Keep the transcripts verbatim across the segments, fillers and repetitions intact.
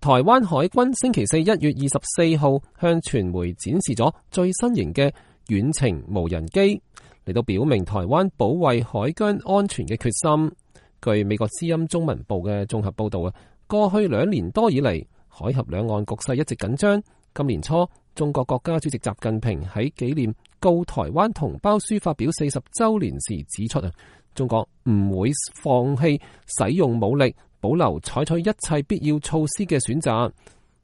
台灣海軍星期四一月二十四號向傳媒展示咗最新型嘅遠程無人機，嚟到表明台灣保衛海疆安全嘅決心。據美國之音中文部嘅綜合報道啊，過去兩年多以嚟，海峽兩岸局勢一直緊張。今年初，中國國家主席習近平喺紀念告台灣同胞書發表四十週年時指出啊，中國唔會放棄使用武力，保留採取一切必要措施嘅選擇。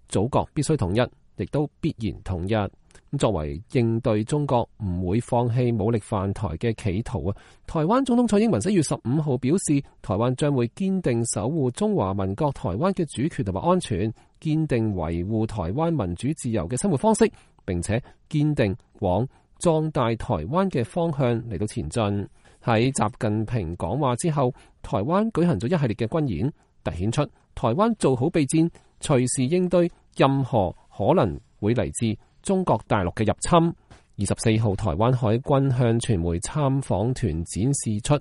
祖國必須統一，亦都必然統一。作為應對中國唔會放棄武力犯台嘅企圖啊，台灣總統蔡英文一月十五號表示，台灣將會堅定守護中華民國台灣嘅主權同埋安全，堅定維護台灣民主自由嘅生活方式，並且堅定往壯大台灣嘅方向嚟到前進。喺習近平講話之後，台灣舉行咗一系列嘅軍演，凸顯出台灣做好備戰，隨時應對任何可能會嚟自中國大陸嘅入侵。二十四號，台灣海軍向傳媒參訪團展示出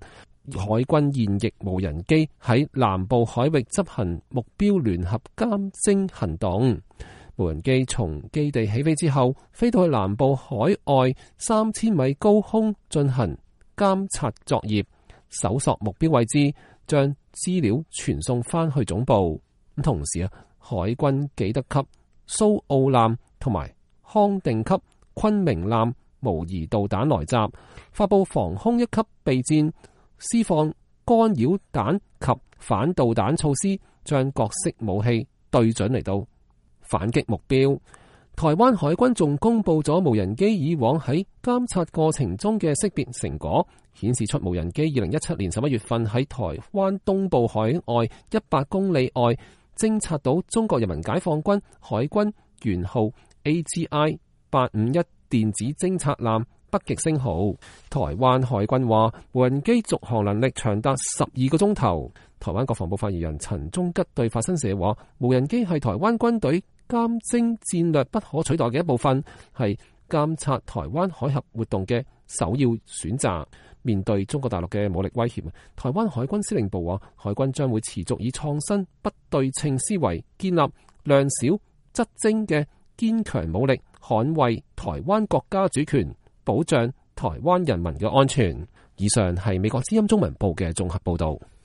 海軍現役無人機喺南部海域執行目標聯合監偵行動。無人機從基地起飛之後，飛到去南部海外三千米高空進行監察作業，搜索目標位置，將資料傳送翻去總部。咁同時啊，海軍紀德級蘇澳艦同埋康定級昆明艦模擬導彈來襲，發佈防空一級備戰，施放干擾彈及反導彈措施，將各式武器對準嚟到反擊目標。台灣海軍仲公布咗無人機以往喺監察過程中嘅識別成果，顯示出無人機二零一七年十一月份喺台灣東部海外一百公里外偵察到中國人民解放軍海軍元號 A G I 八五一電子偵察艦北極星號。台灣海軍話無人機續航能力長達十二個鐘頭。台灣國防部發言人陳忠吉對法新社話，無人機係台灣軍隊監偵戰略不可取代嘅一部分，係監察台灣海峽活動嘅首要選擇。面對中國大陸嘅武力威脅，台灣海軍司令部話，海軍將會持續以創新不對稱思維，建立量少質精嘅堅強武力，捍衛台灣國家主權，保障台灣人民嘅安全。以上係美國之音中文部嘅綜合報道。